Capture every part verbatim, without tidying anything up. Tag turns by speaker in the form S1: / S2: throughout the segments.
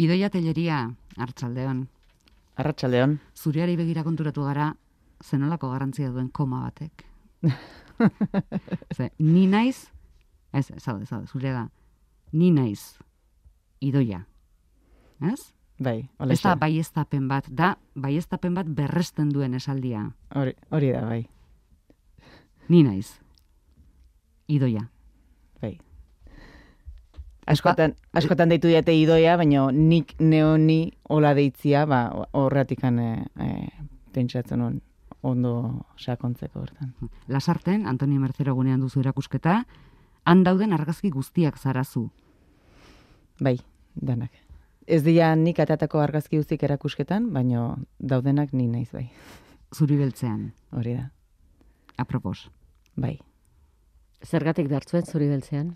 S1: Idoia Telleria, Arratsaldeon.
S2: Arratsaldeon.
S1: Zuriari begira konturatu gara, zenolako garrantzia duen koma batek. Ze, ni naiz, ez, zaude, zaude, zurea da, ni naiz, Idoia. Ez?
S2: Bai, hola.
S1: Ez da baieztapen bat, da baieztapen bat berresten duen esaldia.
S2: Hori, hori da, bai.
S1: Ni naiz, Idoia.
S2: Bai. Askotan, askotan deitu diate Idoia, baina nik neoni hola deitzia, ba, horratikan e, e, pentsatzen on, ondo sakontzeko hortan.
S1: Lasarten, Antonio Mercero gunean duzu erakusketa, han dauden argazki guztiak zarazu.
S2: Bai, danak. Ez dira nik atatako argazki guztiak erakusketan, baina daudenak ni naiz bai.
S1: Zuri beltzean.
S2: Hori da.
S1: Apropos.
S2: Bai.
S3: Zergatik dartzuen zuri beltzean?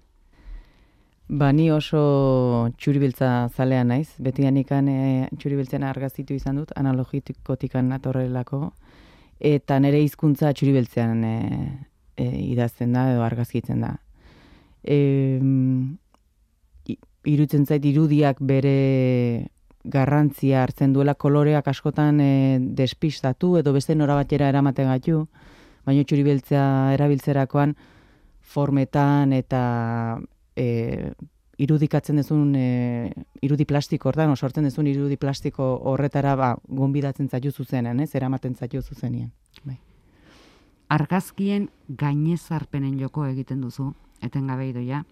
S2: Ba, ni oso txuribiltza zalea naiz. Betianikan e, txuribiltzen argaztitu izan dut, analogikotikan atorrelako, eta nire hizkuntza txuribiltzean e, e, idazten da edo argazkitzen da. E, irutzen zait irudiak bere garrantzia hartzen duela, koloreak askotan e, despistatu edo beste norabatera eramaten gaitu, baina txuribiltzea erabiltzerakoan formetan eta E, irudikatzen dezun e, irudi plastiko hortan, sortzen dezun irudi plastiko horretara ba, gonbidatzen zaitu zuzenen, ez? Eramaten zaitu zuzenien. Bai.
S1: Argazkien gainezarpenen joko egiten duzu, etengabe Idoia.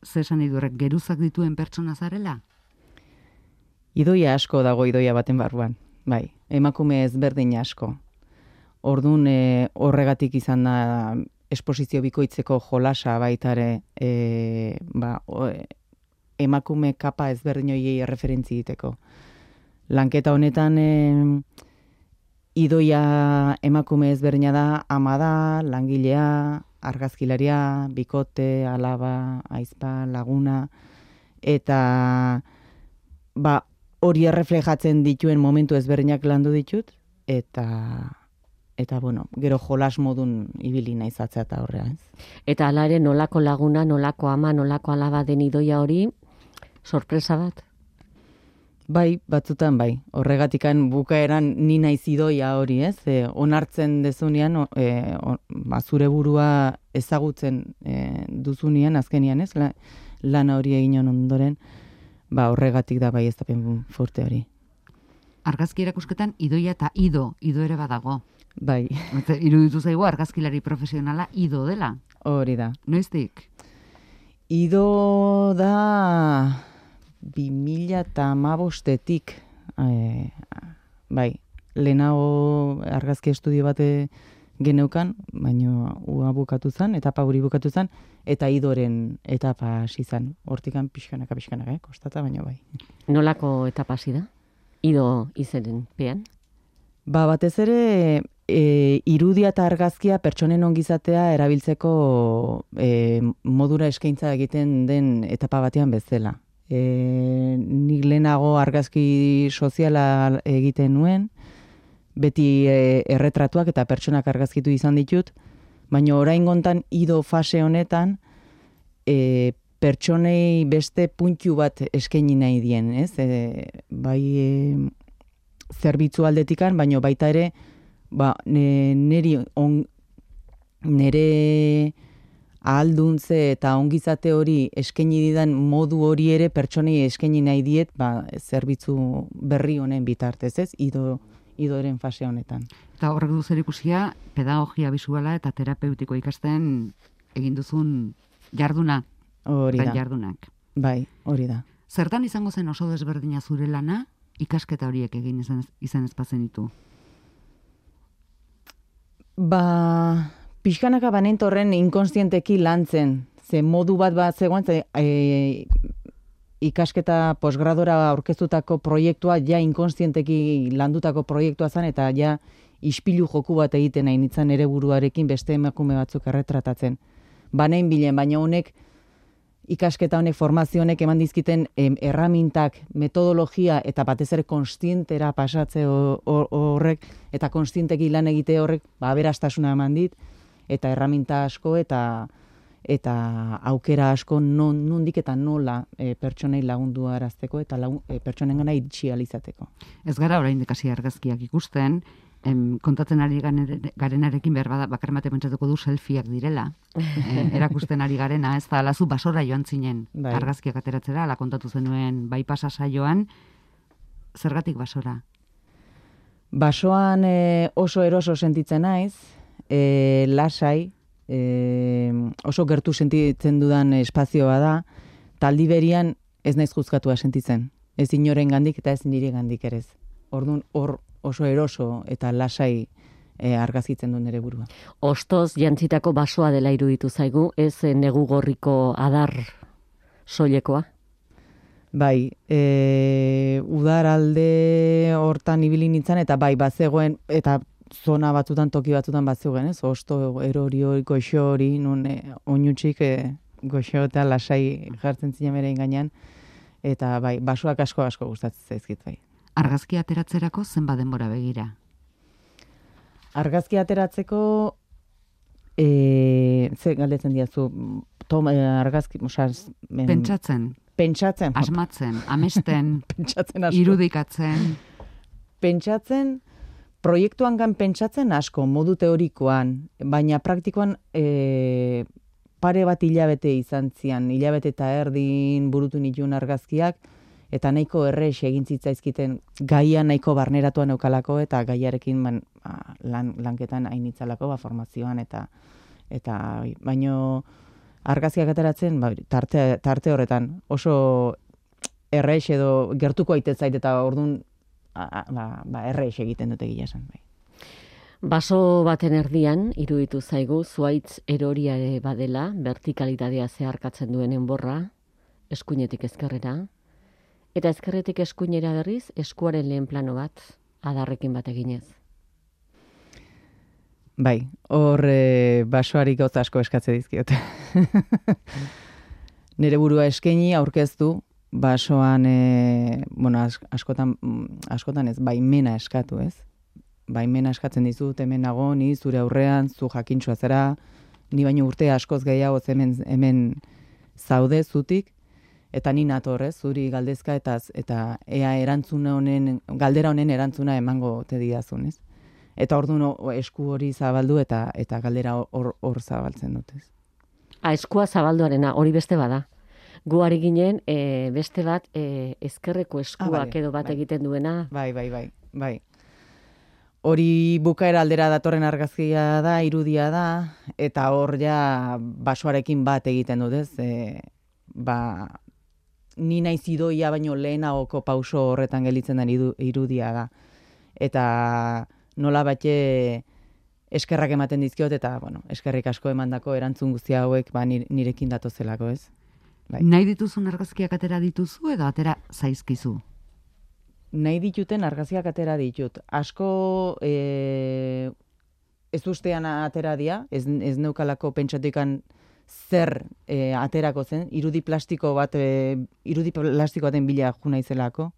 S1: Zer esan idurrek, geruzak dituen pertsona zarela?
S2: Idoia asko dago Idoia baten barruan, bai. Emakume ezberdin asko. Ordun e, horregatik izan da esposizio bikoitzeko jolasa baitare e, ba, o, emakume kapa ezberdin horiei erreferentzi egiteko. Lanketa honetan e, Idoia emakume ezberdina da, ama da, langilea, argazkilaria, bikote, alaba, aizpa, laguna, eta ba, hori erreflejatzen dituen momentu ezberdinak landu ditut, eta Eta, bueno, gero jolas modun ibili naizatzea eta horrea, ez?
S3: Eta hala ere nolako laguna, nolako ama, nolako alaba den Idoia hori, sorpresa bat?
S2: Bai, batzutan bai. Horregatikan bukaeran ni naiz Idoia hori, ez? E, onartzen dezunean, e, on, ba, zure burua ezagutzen e, duzunean, azkenian, ez? La, lana hori egin ondoren, ba, horregatik da bai ez dapen forte hori.
S1: Argazki erakusketan Idoia eta Ido, Ido ere badago.
S2: Bai.
S1: Iruditu zaigu argazkilari profesionala Ido dela.
S2: Hori da.
S1: Noiztik?
S2: Ido da bi mila hamabostetik. E, bai, lehenago argazki estudio bate geneukan, baina ua bukatu zen, etapa hori bukatu zen, eta Idoren etapa hasi zen. Hortikan pixkanaka, pixkanaka, eh? Kostata, baina bai.
S3: Nolako etapa hasi da? Ido izenen pean?
S2: Ba, batez ere, e, irudia eta argazkia pertsonen ongizatea erabiltzeko e, modura eskaintza egiten den etapa batean bezala. E, nik lehenago argazki soziala egiten nuen, beti e, erretratuak eta pertsonak argazkitu izan ditut, baina oraingontan Ido fase honetan e, pertsonei beste puntu bat eskaini nahi dien, ez? E, bai e, zerbitzu aldetikan, baina baita ere ba, neri on, nere ahalduntze eta ongizate hori eskaini didan modu hori ere pertsonei eskaini nahi diet ba, zerbitzu berri honen bitartez, ez? Ido, Idoren fase honetan.
S1: Eta horrek du zerikusia pedagogia bisuala eta terapeutiko ikasten egin duzun jarduna.
S2: Hori da.
S1: Jardunak.
S2: Bai, hori da.
S1: Zertan izango zen oso desberdina zure lana, ikasketa horiek egin izan, izan ezpazen ditu?
S2: Ba, pixkanaka banentorren inkonstienteki lantzen. Ze modu bat bat zegoen, ze, e, ikasketa posgradora aurkeztutako proiektua ja inkonstienteki landutako proiektua zen, eta ja ispilu joku bat egiten nahi nintzen ere buruarekin beste emakume batzuk erretratatzen. Banein bilen, baina honek ikasketa honek, formazio honek eman dizkiten em, erramintak, metodologia eta batez ere konstientera pasatze horrek eta konstienteki lan egite horrek ba, aberastasuna eman dit eta erraminta asko eta eta aukera asko non, nondik eta nola e, pertsonei lagundu arazteko eta lagun, e, pertsonen gana iritsi alizateko.
S1: Ez gara oraindik hasi argazkiak ikusten, em, kontatzen ari gane- garenarekin behar bada, bakar mate pentsatuko du selfieak direla, e, erakusten ari garena, ez da, lazu basora joan zinen
S2: Bai.
S1: argazkiak ateratzera, ala kontatu zenuen bai pasa saioan, zergatik basora?
S2: Basoan e, oso eroso sentitzen naiz, e, lasai, e, oso gertu sentitzen dudan espazioa da, taldi berian ez naiz juzkatua sentitzen. Ez inoren gandik eta ez nire gandik ere ez. Orduan hor oso eroso eta lasai e, argazkitzen du nere burua.
S3: Ostoz jantzitako basoa dela iruditu zaigu, ez eh, negu gorriko adar soilekoa.
S2: Bai, e, udaralde hortan ibili nintzen, eta bai, bazegoen, eta zona batzutan, toki batzutan bazegoen, ez? Osto erori hori, goxo hori, nun e, oinutxik e, goxo eta lasai jartzen zinen bere gainean, eta bai, basoak asko asko gustatzen zaizkit bai.
S1: Argazki ateratzerako zenbat denbora begira?
S2: Argazki ateratzeko, e, ze galdetzen diazu, tom, e, argazki, osea, em,
S1: Pentsatzen,
S2: pentsatzen,
S1: asmatzen, amesten,
S2: pentsatzen asko.
S1: irudikatzen,
S2: Pentsatzen, proiektuan gan pentsatzen asko, modu teorikoan, baina praktikoan e, pare bat hilabete izan zian, hilabete eta erdin burutu nituen argazkiak, eta nahiko errex egin zitzaizkiten gaia nahiko barneratuan eukalako, eta gaiarekin man, ba, lan, lanketan hainitzalako, ba, formazioan, eta eta baino argazkiak ateratzen, ba, tarte, tarte horretan, oso errex edo gertuko aitzait, eta orduan ba, ba, errex egiten dute gila esan. Bai.
S3: Baso baten erdian, iruditu zaigu, zuaitz eroriare badela, vertikalitatea zeharkatzen duen enborra, eskuinetik ezkerrera, eta ezkerretik eskuinera berriz, eskuaren lehen plano bat, adarrekin bat eginez.
S2: Bai, hor e, basoari gauza asko eskatze dizkiote. Nere burua eskaini aurkeztu, basoan, e, bueno, as, askotan, askotan ez, baimena eskatu, ez? Baimena eskatzen dizut, hemen nago, ni zure aurrean, zu jakintxua zera, ni baino urte askoz gehiago hemen, hemen zaude zutik, eta ni nator, ez, zuri galdezka, eta, eta ea erantzuna honen, galdera honen erantzuna emango te didazun, ez? Eta orduan esku hori zabaldu eta eta galdera hor hor zabaltzen dut, ez?
S3: A, eskua zabalduarena, hori beste bada. Gu ari ginen, e, beste bat, e, ezkerreko eskuak
S2: Ah, bale,
S3: edo bat
S2: bai.
S3: egiten duena.
S2: Bai, bai, bai, bai. Hori bukaera aldera datorren argazkia da, irudia da, eta hor ja basoarekin bat egiten dut, ez? E, ba, ni naiz idoia baino lehenagoko pauso horretan gelditzen den idu- irudia da. Eta nola batxe eskerrak ematen dizkiot, eta, bueno, eskerrik asko emandako erantzun guztia hauek ba, nire- nirekin datozelako, ez? Bai.
S1: nahi dituzun argazkiak atera dituzu edo atera zaizkizu?
S2: Nahi dituten argazkiak atera ditut. Asko e, ez ustean atera dia, ez, ez neukalako pentsatikan zer e, aterako zen, irudi plastiko bat, e, irudi plastiko baten bila jo naizelako.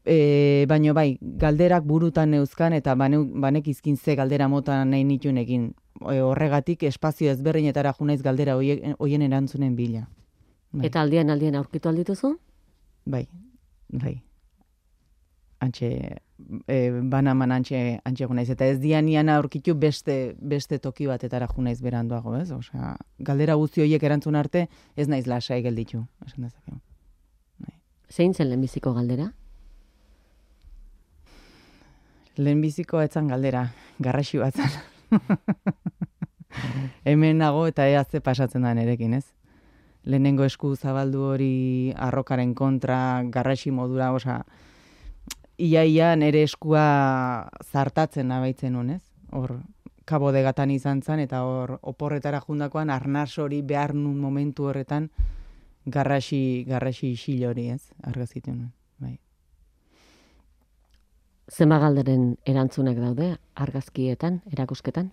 S2: E, baino bai, galderak burutan neuzkan eta baneu, banekizkin ze galdera mota nahi nitunekin. E, horregatik espazio ezberdinetara jo naiz galdera hoien, hoien erantzunen bila. Bai.
S3: Eta aldian aldian aurkitu aldituzu?
S2: Bai, bai. Antxe, e, banaman antxe, antxe naiz. Eta ez dianian aurkitu beste, beste toki batetara jo naiz beranduago, ez? Osea, galdera guzti horiek erantzun arte, ez naiz lasai gelditu, esan dezakegu.
S3: Zein zen lehenbiziko galdera?
S2: Lehenbiziko etzan galdera, garraxi bat zen. Hemen nago eta ea ze pasatzen da nerekin, ez? Lehenengo esku zabaldu hori arrokaren kontra, garraxi modura, osea, ia-ia nere eskua zartatzen abaitzen honez. Hor, kabodegatan izan zen, eta hor oporretara jundakoan arnaz hori behar nun momentu horretan garraxi, garraxi isil hori, ez? Argazitu nuen, bai.
S3: Zenba galderen erantzunak daude argazkietan, erakusketan?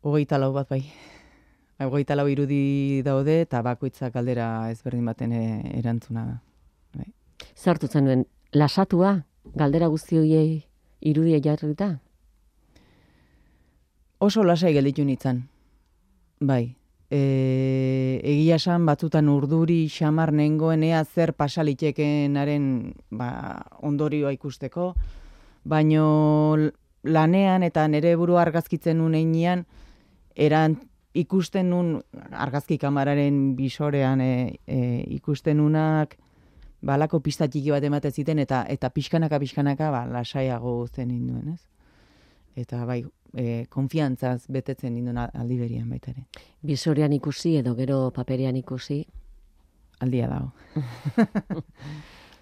S2: Hogeita lau bat bai. Hogeita lau irudi daude eta bakoitzak galdera ezberdin baten e, erantzuna da. Bai.
S3: Zartu zenuen, lasatua, galdera guzti horiei irudia jarrita?
S2: Oso lasai gelditu nintzen. Bai. E, egia esan batzutan urduri xamar nengoen ea zer pasalitekenaren ba, ondorioa ikusteko, baino lanean eta nire burua argazkitzen nun einean, eran ikusten nun argazki kamararen bisorean e, e, ikusten nunak balako pista txiki bat ematen ziten eta eta pixkanaka pixkanaka ba, lasaiago zen ninduen, ez? Eta bai, e, konfiantzaz betetzen ninduen aldi berian baita ere.
S3: Bisorean ikusi edo gero paperean ikusi?
S2: Aldia dago.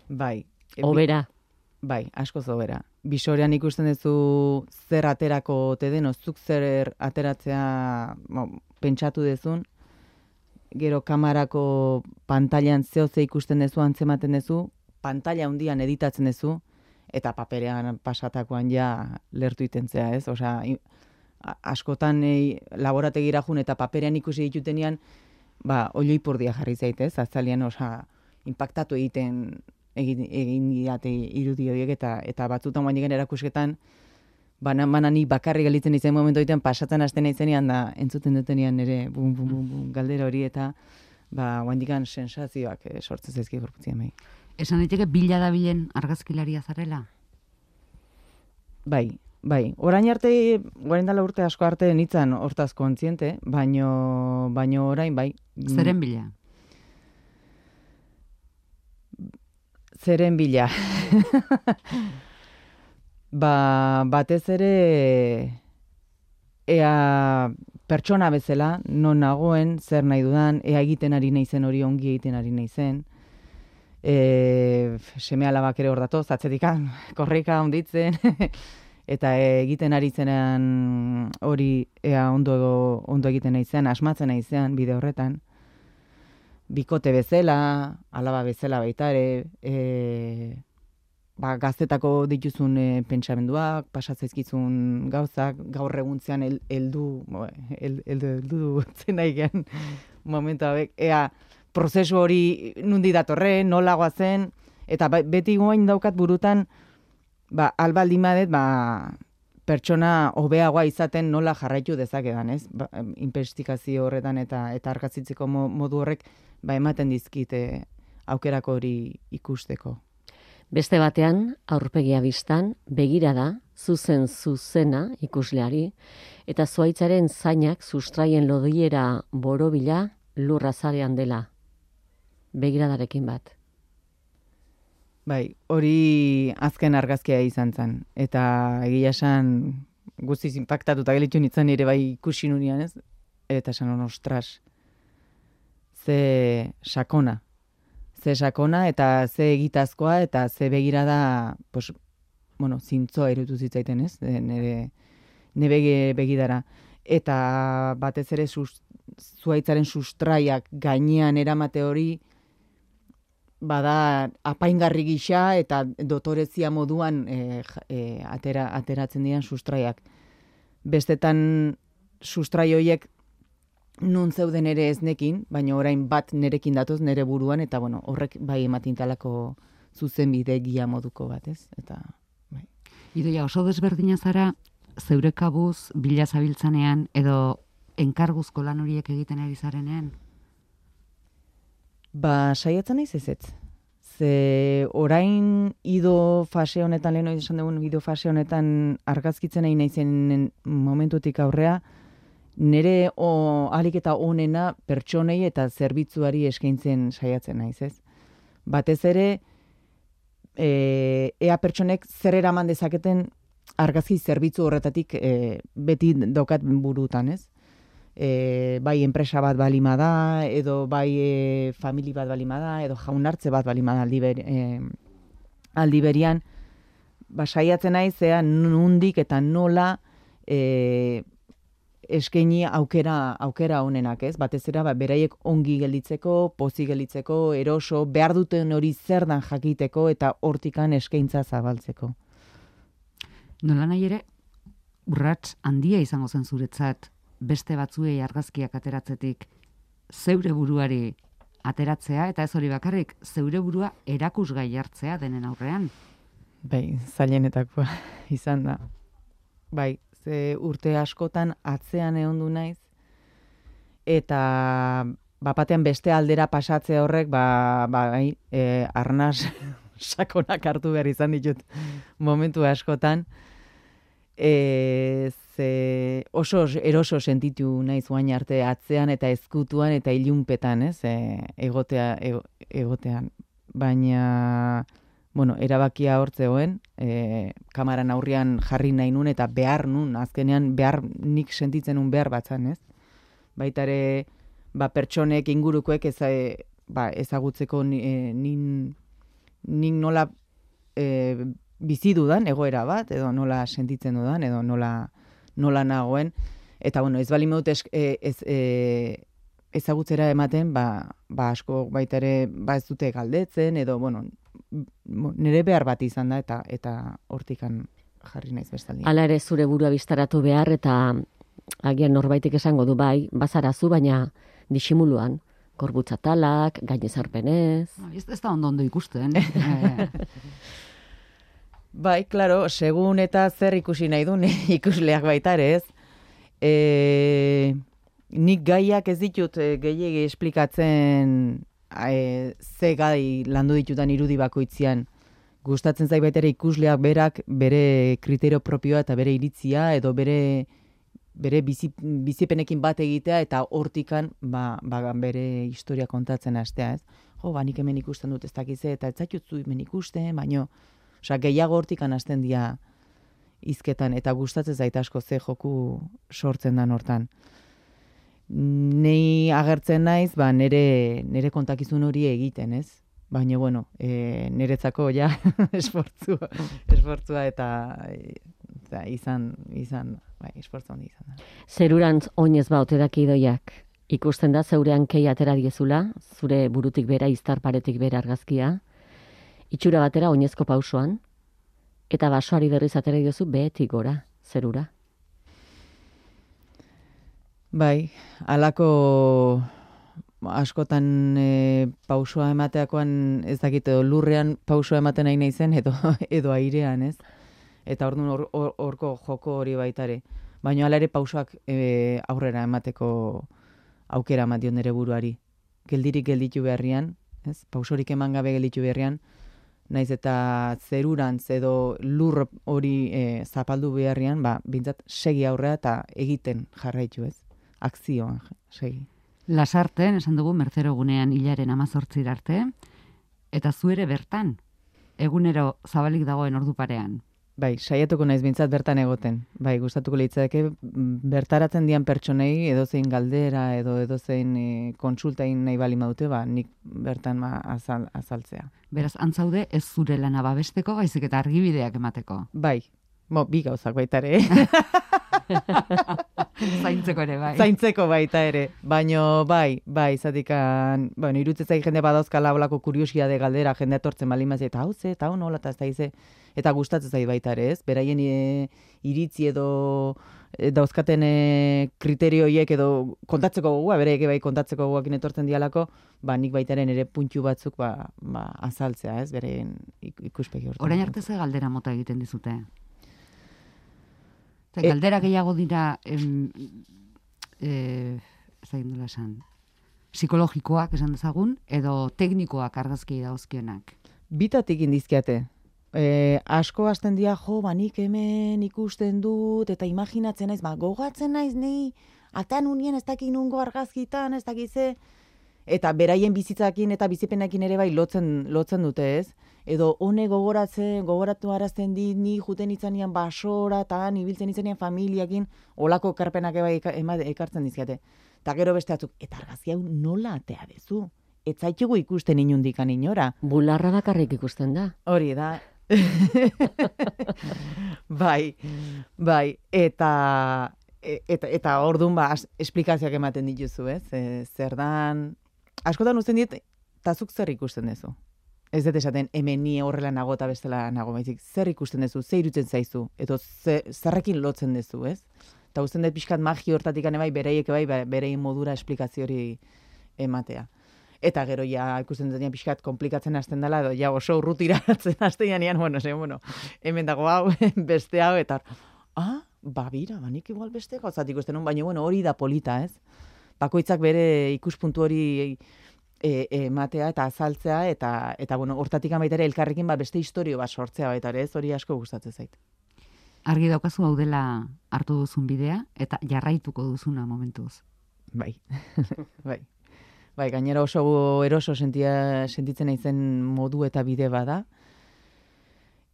S2: Bai.
S3: Obera?
S2: Bai, asko zobera. Bisorean ikusten duzu zer aterako te den, zuk zer ateratzea bo, pentsatu dezun, gero kamarako pantailan zeo ze ikusten duzu, antzematen duzu, pantalla handian editatzen duzu, eta paperean pasatakoan ja lertu itentzea, ez? Osea, askotan e, laborategira jun eta paperean ikusi ditutenean, ba, olioipurdia jarri zaitez, azalian, osea, impactatu egiten egin, egin diate irudi horiek eta eta batzutan guain digen erakusketan, banan banan ni bakarri galitzen izen momentu egiten pasatzen hasten izenean da entzuten dutenean nire bum, bum, bum, bum, galdera hori eta ba, guain digan sensazioak e, sortzen zaizki gorputzien bai.
S1: Esan daiteke bila da bilen argazkilaria zarela?
S2: Bai, bai. Orain arte, orain dela urte asko arte nitzan hortaz kontziente, baino, baino orain bai.
S1: Zeren bila?
S2: Zeren bila. Ba, batez ere ea pertsona bezala, non nagoen, zer nahi dudan, ea egiten ari naizen hori ongi egiten ari naizen. E, seme alabak ere hor datoz, atzetikan, korrika onditzen, eta egiten ari zenean hori ea ondo, ondo egiten naizen, asmatzen naizen bide horretan. Bikote bezala, alaba bezala baita ere, e, ba, gaztetako dituzun e, pentsamenduak, pasatzaizkizun gauzak, gaur eguntzean el, eldu, el, eldu, eldu zen nahi gen momentu hauek, ea prozesu hori nundi datorren, nolagoa zen, eta beti goain daukat burutan, ba, albaldin badet, ba, pertsona hobeagoa izaten nola jarraitu dezakedan, ez? Ba, investigazio horretan eta eta argazitzeko modu horrek ba, ematen dizkite aukerako hori ikusteko.
S3: Beste batean, aurpegia bistan, begirada, zuzen zuzena ikusleari, eta zuaitzaren zainak sustraien lodiera borobila lurra zarean dela. Begiradarekin bat.
S2: Bai, hori azken argazkia izan zen. Eta egia esan guztiz impactatuta gelitu nintzen ere bai ikusi nunian, ez? Eta esan hon, ostras, ze sakona. Ze sakona eta ze egitazkoa eta ze begirada, pues, bueno, zintzoa irutu zitzaiten, ez? Nere, nire begidara. Eta batez ere sus, zuaitzaren sustraiak gainean eramate hori, bada apaingarri gisa eta dotorezia moduan e, e, atera, ateratzen diren sustraiak. Bestetan sustrai horiek nun zeuden ere ez nekin, baina orain bat nerekin datoz nere buruan, eta bueno, horrek bai ematintalako zuzenbide gia moduko bat, ez? Eta, bai.
S1: Idoia, oso desberdina zara, zeure kabuz, bila zabiltzanean, edo enkarguzko lan horiek egiten ari zarenean?
S2: Ba, saiatzen naiz ez ez. Ze orain ido fase honetan, lehen hori esan dugun ido fase honetan argazkitzen nahi naizen momentutik aurrea, nire o, alik eta onena pertsonei eta zerbitzuari eskaintzen saiatzen naiz, ez? Batez ere, e, ea pertsonek zer eraman dezaketen argazki zerbitzu horretatik e, beti daukat burutan, ez? E, bai enpresa bat balima da, edo bai e, famili bat balima da, edo jaunartze bat balima da aldi, ber, e, aldi berian, ba, saiatzen naiz, ea nundik eta nola e, eskaini aukera aukera honenak, ez? Batez ere ba, beraiek ongi gelditzeko, pozi gelditzeko, eroso, behar duten hori zer dan jakiteko eta hortikan eskaintza zabaltzeko.
S1: Nola nahi ere, urrats handia izango zen zuretzat, beste batzuei argazkiak ateratzetik zeure buruari ateratzea, eta ez hori bakarrik, zeure burua erakusgai hartzea denen aurrean.
S2: Bai, zailenetakoa izan da. Bai, ze urte askotan atzean ehondu naiz, eta bapatean beste aldera pasatze horrek, ba, ba, e, arnaz sakonak hartu behar izan ditut momentu askotan, e, ze oso eroso sentitu naiz oain arte atzean eta ezkutuan eta ilunpetan, ez, e, egotea, ego, egotean. Baina, bueno, erabakia hortzeoen, e, kamaran aurrian jarri nahi nun eta behar nun, azkenean behar nik sentitzen nun behar batzan, ez? Baitare, ba, pertsonek ingurukoek eza, ba, ezagutzeko e, nin, nin nola e, bizi dudan egoera bat, edo nola sentitzen dudan, edo nola, nola nagoen. Eta, bueno, ez bali meut ez, ez, e, ezagutzera ematen, ba, ba asko baita ere ba ez dute galdetzen, edo, bueno, nire behar bat izan da, eta eta hortikan jarri naiz bestaldi.
S3: Hala ere zure burua biztaratu behar, eta agian norbaitek esango du bai, bazarazu, baina disimuluan, gorbutzatalak, gainezarpenez.
S1: No, ez, ez da ondo ondo ikusten.
S2: Bai, klaro, segun eta zer ikusi nahi duen ikusleak baita ere, ez? E, nik gaiak ez ditut e, gehiegi esplikatzen e, ze gai landu ditutan irudi bakoitzian. Gustatzen zait baita ere ikusleak berak bere kriterio propioa eta bere iritzia edo bere bere bizi, bizipenekin bat egitea eta hortikan ba, ba, bere historia kontatzen hastea, ez? Jo, ba, nik hemen ikusten dut ez dakize eta ez zaitutzu hemen ikusten, baino, osea, gehiago hortikan hasten dira hizketan eta gustatzen zait asko ze joku sortzen dan hortan. Nei agertzen naiz, ba, nere, nere kontakizun hori egiten, ez? Baina, bueno, e, niretzako ja esfortzua, esfortzua eta, eta izan, izan, bai, esfortzu handi izan da.
S3: Zerurantz oinez ba ote daki idoiak. Ikusten da zeurean kei atera diezula, zure burutik bera, iztar paretik bera argazkia, itxura batera oinezko pausoan, eta basoari berriz atera diozu behetik gora, zerura.
S2: Bai, halako askotan e, pausoa emateakoan ez dakit edo lurrean pausoa ematen nahi naizen edo edo airean, ez? Eta orduan hor, hor, horko joko hori baitare. Baina hala ere pausoak e, aurrera emateko aukera ematen nere buruari. Geldirik gelditu beharrian, ez? Pausorik eman gabe gelditu beharrian, naiz eta zerurantz edo lur hori e, zapaldu beharrian, ba, bintzat segi aurrera eta egiten jarraitu, ez? Akzioan segi.
S1: Lasarten, esan dugu, Mertzero gunean hilaren amazortzira arte, eta zu ere bertan, egunero zabalik dagoen ordu parean.
S2: Bai, saiatuko naiz bintzat bertan egoten. Bai, gustatuko litzake bertaratzen dian pertsonei edozein galdera edo edozein e, kontsultain nahi bali madute, ba, nik bertan ma azal, azaltzea.
S1: Beraz, antzaude ez zure lana babesteko, baizik eta argibideak emateko.
S2: Bai, mo, bi gauzak baita ere.
S1: Zaintzeko ere, bai.
S2: Zaintzeko baita ere. Baino, bai, bai, zatikan, bueno, irutzezai jende badauzkala olako kuriosia de galdera, jende atortzen balimaz, eta hau ze, eta hau nola, eta ez da ize, eta gustatzen zait baita ere, ez? Beraien e, iritzi edo e, dauzkaten e, kriterioiek edo kontatzeko gogoa, bereik bai kontatzeko gogoakin etortzen dialako, ba, nik baitaren ere puntu batzuk ba, ba, azaltzea, ez? Beren ikuspegi hortan.
S1: Orain arte ze galdera mota egiten dizute? Eta galdera gehiago dira, em, e, ez da gindola esan, psikologikoak esan dezagun, edo teknikoak argazki dagozkionak.
S2: Bitatik indizkiate. E, asko hasten dira, jo, ba, nik hemen ikusten dut, eta imaginatzen naiz, ba, gogatzen naiz, nei, atan unien ez dakik nungo argazkitan, ez dakize, eta beraien bizitzakin eta bizipenekin ere bai lotzen, lotzen dute, ez? Edo hone gogoratzen, gogoratu arazten dit, ni juten itzanian basora, eta ibiltzen itzanian familiakin, olako ekarpenak bai ekartzen dizkiate. Eta gero beste batzuk, eta argazki hau nola atea dezu? Ez zaitugu ikusten inundikan inora.
S3: Bularra bakarrik ikusten da.
S2: Hori da. bai, bai, eta eta, eta orduan ba, esplikazioak ematen dituzu, ez? E, zer dan, askotan uzten dit, tazuk zer ikusten duzu. Ez dut esaten, hemen ni horrela nago eta bestela nago, baizik, zer ikusten duzu, zer irutzen zaizu, edo zerrekin lotzen duzu, ez? Eta uzten dut pixkat magi hortatik bai, bereiek bai, bereien modura esplikazio hori ematea. Eta gero ja ikusten dut pixkat komplikatzen hasten dela, edo ja oso urrutiratzen hasten janean, bueno, ze, bueno, hemen dago hau, beste hau, eta ah, ba, bira, ba, nik igual beste gauzatik uste nun, baina bueno, hori da polita, ez? Bakoitzak bere ikuspuntu hori e, ematea eta azaltzea, eta, eta bueno, hortatik baita ere elkarrekin ba, beste historio bat sortzea baita ere, ez hori asko gustatzen zait.
S1: Argi daukazu hau dela hartu duzun bidea, eta jarraituko duzuna momentuz.
S2: Bai, bai. Bai, gainera oso eroso sentia, sentitzen naizen modu eta bide bada.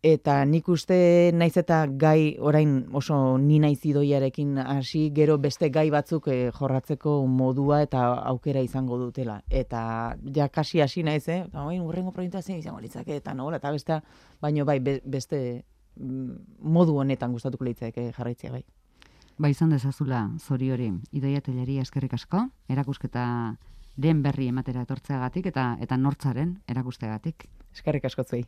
S2: Eta nik uste naiz eta gai orain oso ni naiz idoiarekin hasi, gero beste gai batzuk eh, jorratzeko modua eta aukera izango dutela. Eta ja kasi hasi naiz, eh? Orain urrengo proiektua zein izango litzake eta nola eta bestea, baino bai be, beste modu honetan gustatuko litzake jarraitzea bai.
S1: Ba, izan dezazula zori hori, Idoia Telleria eskerrik asko, erakusketa den berri ematera etortzeagatik eta eta nortzaren erakusteagatik.
S2: Eskerrik asko zuei.